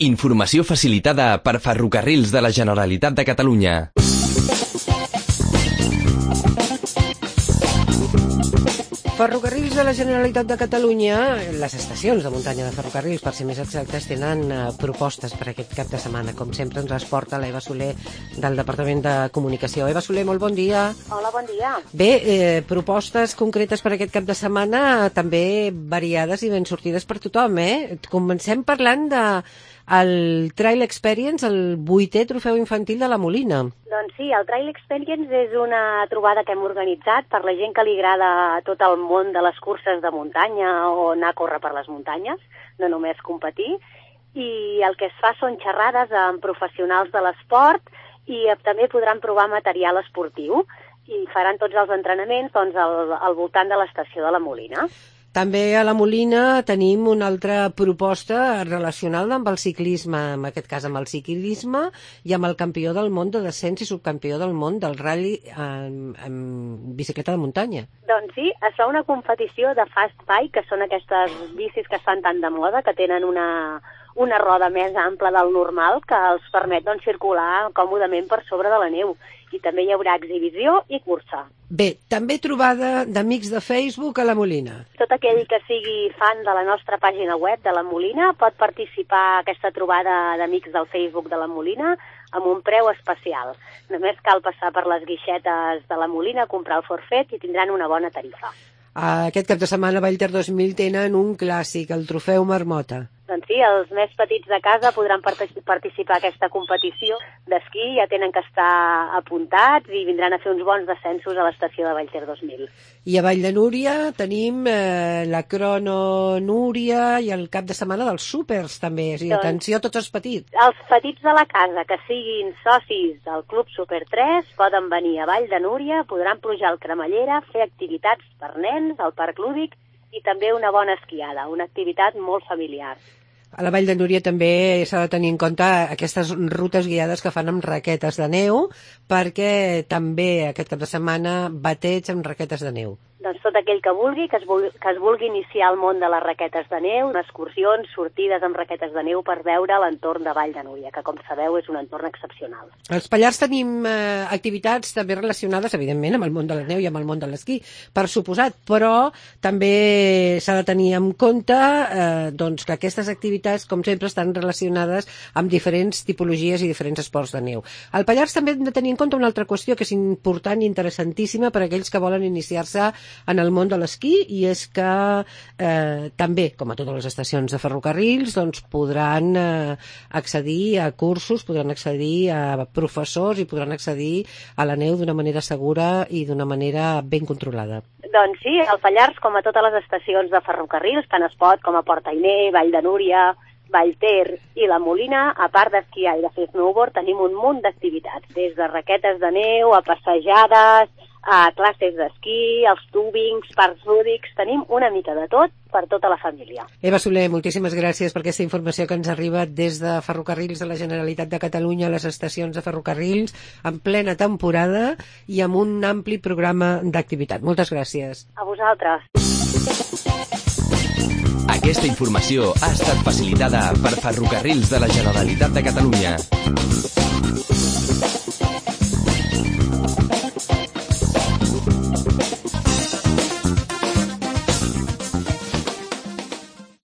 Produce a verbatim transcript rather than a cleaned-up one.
Informació facilitada per Ferrocarrils de la Generalitat de Catalunya. Ferrocarrils de la Generalitat de Catalunya, les estacions de muntanya de ferrocarrils, per ser més exactes, tenen uh, propostes per aquest cap de setmana. Com sempre ens les porta l'Eva Soler del Departament de Comunicació. Eva Soler, molt bon dia. Hola, bon dia. Bé, eh, propostes concretes per aquest cap de setmana, també variades i ben sortides per tothom, eh? Comencem parlant de el Trail Experience, el vuitè trofeu infantil de la Molina. Doncs sí, el Trail Experience és una trobada que hem organitzat per la gent que li agrada tot el món de les curses de muntanya o anar a córrer per les muntanyes, no només competir. I el que es fa són xerrades amb professionals de l'esport i també podran provar material esportiu i faran tots els entrenaments doncs, al, al voltant de l'estació de la Molina. També a la Molina tenim una altra proposta relacionada amb el ciclisme, en aquest cas amb el ciclisme i amb el campió del món de descens i subcampió del món del rally en, en bicicleta de muntanya. Doncs sí, es fa una competició de fast bike, que són aquestes bicis que estan tan de moda, que tenen una, una roda més ampla del normal que els permet doncs, circular còmodament per sobre de la neu. I també hi haurà exhibició i cursa. Bé, també trobada d'amics de Facebook a la Molina. Tot aquell que sigui fan de la nostra pàgina web de la Molina pot participar a aquesta trobada d'amics del Facebook de la Molina amb un preu especial. Només cal passar per les guixetes de la Molina, comprar el forfet i tindran una bona tarifa. Aquest cap de setmana a Vallter dos mil tenen un clàssic, el trofeu Marmota. Doncs sí, els més petits de casa podran participar a aquesta competició d'esquí, ja tenen que estar apuntats i vindran a fer uns bons descensos a l'estació de Vallter dos mil. I a Vall de Núria tenim eh, la crono Núria i el cap de setmana dels súpers també, o sigui, doncs, atenció a tots els petits. Els petits de la casa que siguin socis del Club Super tres poden venir a Vall de Núria, podran pujar al Cremallera, fer activitats per nens al Parc Lúdic i també una bona esquiada, una activitat molt familiar. A la Vall de Núria també s'ha de tenir en compte aquestes rutes guiades que fan amb raquetes de neu, perquè també aquest cap de setmana bateig amb raquetes de neu. Doncs tot aquell que vulgui, que es vulgui, que es vulgui iniciar al món de les raquetes de neu, excursions, sortides amb raquetes de neu per veure l'entorn de Vall de Núria, que com sabeu és un entorn excepcional. Als Pallars tenim eh, activitats també relacionades, evidentment, amb el món de la neu i amb el món de l'esquí, per suposat, però també s'ha de tenir en compte eh, doncs, que aquestes activitats, com sempre, estan relacionades amb diferents tipologies i diferents esports de neu. Al Pallars també hem de tenir en compte una altra qüestió que és important i interessantíssima per a aquells que volen iniciar-se en el món de l'esquí, i és que eh, també, com a totes les estacions de ferrocarrils, doncs podran eh, accedir a cursos, podran accedir a professors i podran accedir a la neu d'una manera segura i d'una manera ben controlada. Doncs sí, al Pallars, com a totes les estacions de ferrocarrils, tant es pot com a Port Ainé, Vall de Núria, Vallter i la Molina, a part d'esquiar i de fer snowboard, tenim un munt d'activitats, des de raquetes de neu a passejades, a classes d'esquí, els tubings, parcs lúdics, tenim una mica de tot per tota la família. Eva Soler, moltíssimes gràcies per aquesta informació que ens arriba des de Ferrocarrils de la Generalitat de Catalunya a les estacions de ferrocarrils en plena temporada i amb un ampli programa d'activitat. Moltes gràcies. A vosaltres. Aquesta informació ha estat facilitada per Ferrocarrils de la Generalitat de Catalunya.